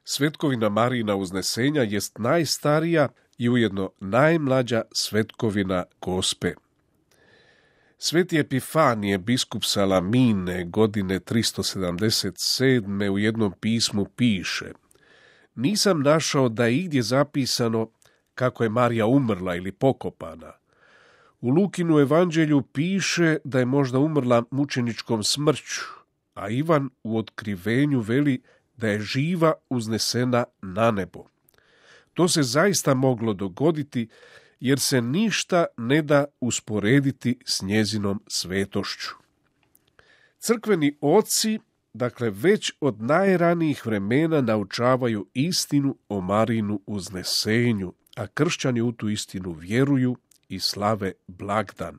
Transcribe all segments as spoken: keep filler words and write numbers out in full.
Svetkovina Marijina uznesenja jest najstarija i ujedno najmlađa svetkovina Gospe. Sveti Epifanije, biskup Salamine, godine tristo sedamdeset sedme u jednom pismu piše: nisam našao da je igdje zapisano kako je Marija umrla ili pokopana. U Lukinu evanđelju piše da je možda umrla mučeničkom smrću, a Ivan u otkrivenju veli da je živa uznesena na nebo. To se zaista moglo dogoditi, jer se ništa ne da usporediti s njezinom svetošću. Crkveni oci, dakle, već od najranijih vremena naučavaju istinu o Marijinu uznesenju, a kršćani u tu istinu vjeruju i slave blagdan.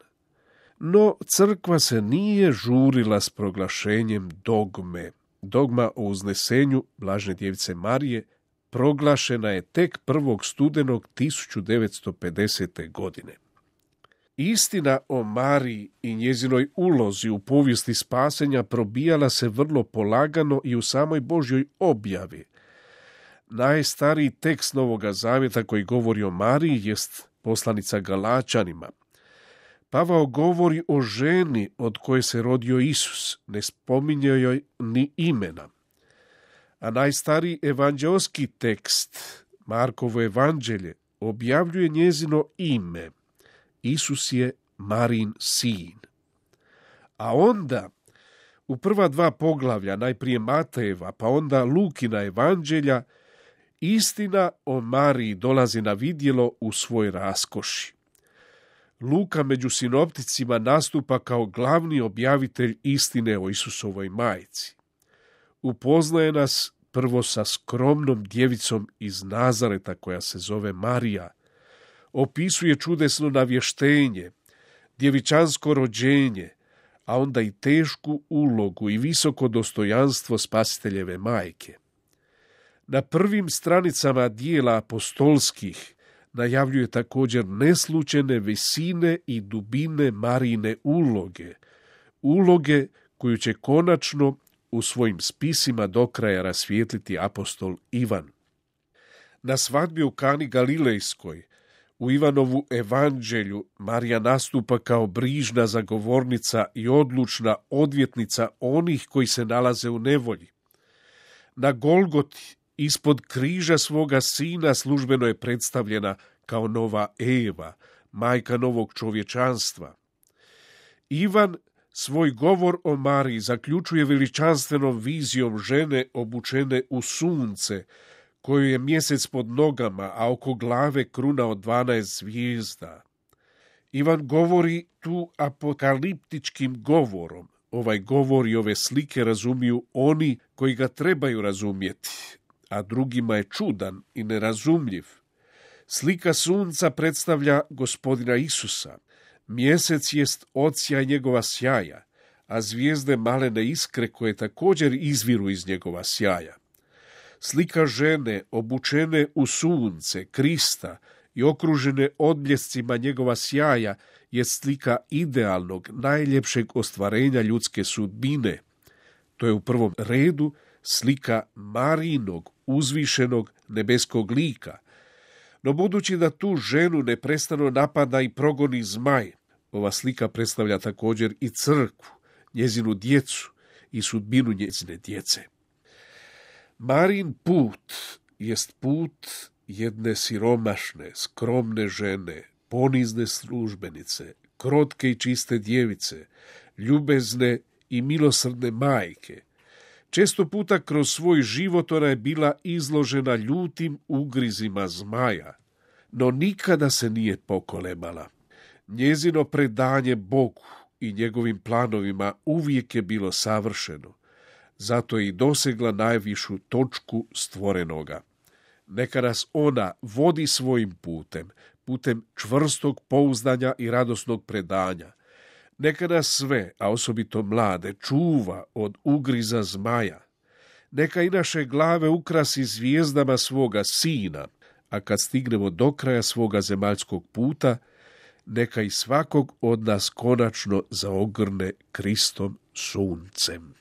No, crkva se nije žurila s proglašenjem dogme. Dogma o uznesenju Blažene djevice Marije proglašena je tek prvog studenog tisuću devetsto pedesete. godine. Istina o Mariji i njezinoj ulozi u povijesti spasenja probijala se vrlo polagano i u samoj Božjoj objavi. Najstariji tekst Novoga Zavjeta koji govori o Mariji jest poslanica Galačanima. Pavao govori o ženi od koje se rodio Isus, ne spominje joj ni imena. A najstariji evanđeoski tekst, Markovo evanđelje, objavljuje njezino ime. Isus je Marijin sin. A onda, u prva dva poglavlja, najprije Matejeva, pa onda Lukina evanđelja, istina o Mariji dolazi na vidjelo u svoj raskoši. Luka među sinopticima nastupa kao glavni objavitelj istine o Isusovoj majci. Upoznaje nas prvo sa skromnom djevicom iz Nazareta koja se zove Marija. Opisuje čudesno navještenje, djevičansko rođenje, a onda i tešku ulogu i visoko dostojanstvo Spasiteljeve majke. Na prvim stranicama dijela apostolskih najavljuje također neslučajne visine i dubine Marijine uloge, uloge koju će konačno u svojim spisima do kraja rasvijetliti apostol Ivan. Na svadbi u Kani Galilejskoj, u Ivanovu evanđelju, Marija nastupa kao brižna zagovornica i odlučna odvjetnica onih koji se nalaze u nevolji. Na Golgoti, ispod križa svoga sina, službeno je predstavljena kao nova Eva, majka novog čovječanstva. Ivan svoj govor o Mariji zaključuje veličanstvenom vizijom žene obučene u sunce, koju je mjesec pod nogama, a oko glave kruna od dvanaest zvijezda. Ivan govori tu apokaliptičkim govorom. Ovaj govor i ove slike razumiju oni koji ga trebaju razumjeti, a drugima je čudan i nerazumljiv. Slika sunca predstavlja Gospodina Isusa. Mjesec jest odsjaj njegova sjaja, a zvijezde malene iskre koje također izviru iz njegova sjaja. Slika žene obučene u sunce, Krista i okružene odbljescima njegova sjaja je slika idealnog, najljepšeg ostvarenja ljudske sudbine. To je u prvom redu slika Marijinog, uzvišenog nebeskog lika. No budući da tu ženu neprestano napada i progoni zmaj, ova slika predstavlja također i crkvu, njezinu djecu i sudbinu njezine djece. Marijin put jest put jedne siromašne, skromne žene, ponizne službenice, krotke i čiste djevice, ljubezne i milosrdne majke. Često puta kroz svoj život ona je bila izložena ljutim ugrizima zmaja, no nikada se nije pokolebala. Njezino predanje Bogu i njegovim planovima uvijek je bilo savršeno, zato je i dosegla najvišu točku stvorenoga. Neka nas ona vodi svojim putem, putem čvrstog pouzdanja i radosnog predanja. Neka nas sve, a osobito mlade, čuva od ugriza zmaja. Neka i naše glave ukrasi zvijezdama svoga sina, a kad stignemo do kraja svoga zemaljskog puta, neka i svakog od nas konačno zaogrne Kristom suncem.